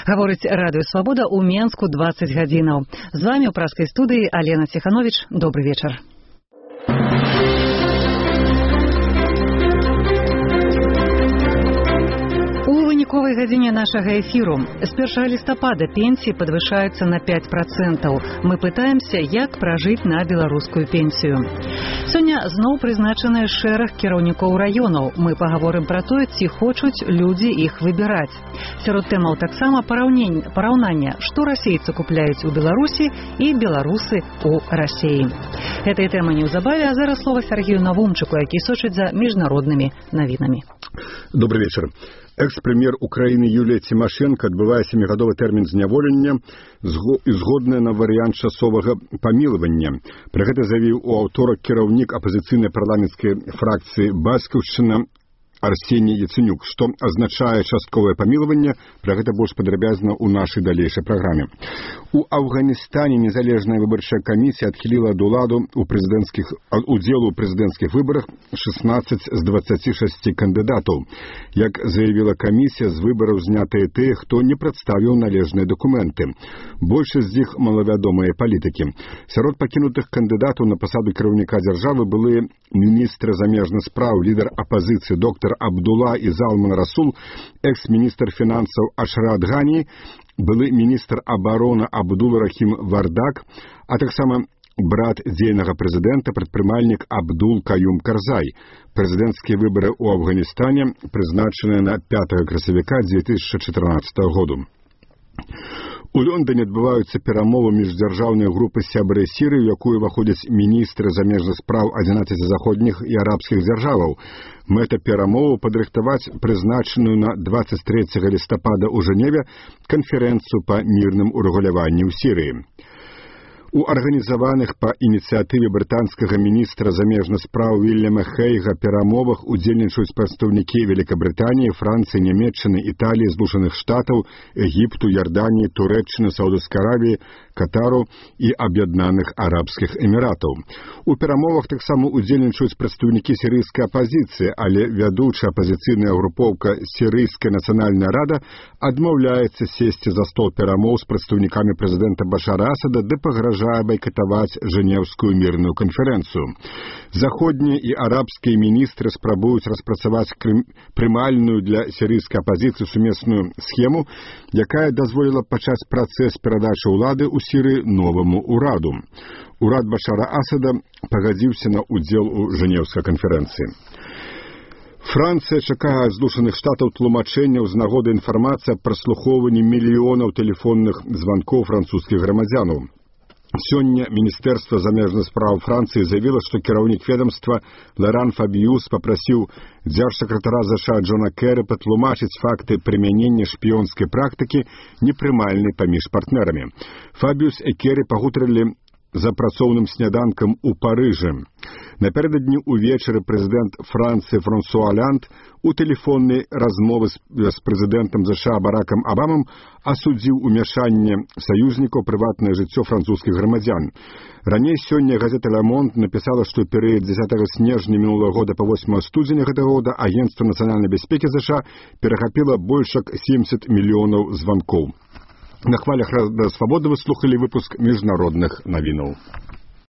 Гаворыць радыё «Свабода» ў Менску 20 гадзінаў. З вами ў праскай студыі Алена Ціханович. Добрый вечар. У выніковай гадзіне нашага эфіру. З 1 лістапада пенсіі падвышаюцца на 5%. Мы пытаемся, як пражыць на беларускую пенсію. Сёння зноў прызначаны шэраг кіраўнікоў раёнаў. Мы пагаворым пра тое, ці хочуць людзі іх выбіраць. Сярод тэмаў таксама параўнання, што расейцы купляюць у Беларусі і беларусы у Расеі. Гэтай тэмы неўзабаве, а зараз слова Сергею Навумчыку, які сочыць за міжнароднымі навінамі. Добрый вечер. Экс-прэм'ер Украіны Юлія Цімашенка адбывае 7-гадовы тэрмін зняволення і згодная на варыянт часовага памілавання. Пра гэта заявіў у аўторак кіраўнік апазіцыйнай парламенцкай фракцыі «Бацькаўшчына» Арсеній Яценюк, што азначае частковае памілаванне. Пра гэта больш падрабязна ў нашай далейшай праграме. У Афганістане незалежная выбарчая камісія адхіліла ад уладу удзелу ў прэзідэнцкіх выбарах 16 з 26 кандыдатаў. Як заявіла камісія, з выбараў знятыя тыя, хто не прадставіў належныя дакументы. Большасць з іх малавядомыя палітыкі. Сярод пакінутых кандыдатаў на пасаду кіраўніка дзяржавы былі міністр замежных спраў, лідар апазіцыі доктар Абдулла і Залман Расул, экс-міністр фінансаў Ашрат Гані, былы міністр абароны Абдул Рахім Вардак, а таксама брат дзейнага прэзідэнта, прадпрымальнік Абдул Каюм Карзай. Прэзідэнцкія выбары ў Афганістане прызначаныя на 5 красавіка 2014 году. У Лондоне адбываюцца перамовы міждзяржаўнай групы «Сябры Сірыі», у якую ўваходзяць міністры замежных спраў 11 заходніх і арабскіх дзяржаваў. Мэта перамоваў падрыхтаваць прызначаную на 23 лістапада ў Жэневе канферэнцыю па мірным урэгуляванні ў Сірыі. У арганізаваных па ініцыятыве брытанскага міністра замежных спраў Вільяма Хейга перамовах удзельнічаюць прадстаўнікі Великабрытаніі, Францыі, Нямецчыны, Італіі, Злучаных Штатаў, Егіпту, Ярданіі, Турэччыны, Саўдаўскай Аравіі, Катару і Аб'яднаных Арабскіх Эміратаў. У перамовах таксама удзельнічаюць прадстаўнікі сірыйскай апазіцыі, але вядучая апазіцыйная групоўка «Сірыйская нацыянальная рада» адмаўляецца сесці за стол перамоў з прадстаўнікамі прэзідэнта Башара Асада ды пагражае байкатаваць Жэнеўскую мірную канферэнцыю. Заходнія і арабскія міністры спрабуюць распрацаваць прымальную для сірыйскай апазіцыі сумесную схему, якая дазволіла пачаць працэс перадачы ўлады ў Сірыі новаму ўраду. Урад Башара Асада пагадзіўся на ўдзел у Жэнеўскай канферэнцыі. Францыя чакае ад Злучаных Штатаў тлумачэнняў з нагоды інфармацыі аб праслухоўванні мільёнаў тэлефонных званкоў французскіх грамадзянаў. Сёння Міністэрства замежных спраў Францыі заявіла, што кіраўнік ведомства Лоран Фабіюс папрасіў дзяржсакратара ЗША Джона Кэры патлумачыць факты прымянення шпіёнскай практыкі непрымальнай паміж партнерамі. Фабіюс і Кэры пагутарылі за працоўным сняданкам у Парыжы. Напярэдадні ўвечары прэзідэнт Францыі Франсуа Олянд у тэлефоннай размовы з прэзідэнтам ЗША Баракам Абамам асудзіў умяшанне саюзнікаў у прыватнае жыццё французскіх грамадзян. Раней сёння газета «Ля Монт» напісала, што ў перыяд 10 снежня мінулага года па 8 студзеня гэтага года Агенцтва нацыянальнай бяспекі ЗША перахапіла больш як 70 мільёнаў званкоў. На хвалях радыё «Свабода» вы слухалі выпуск міжнародных навінаў.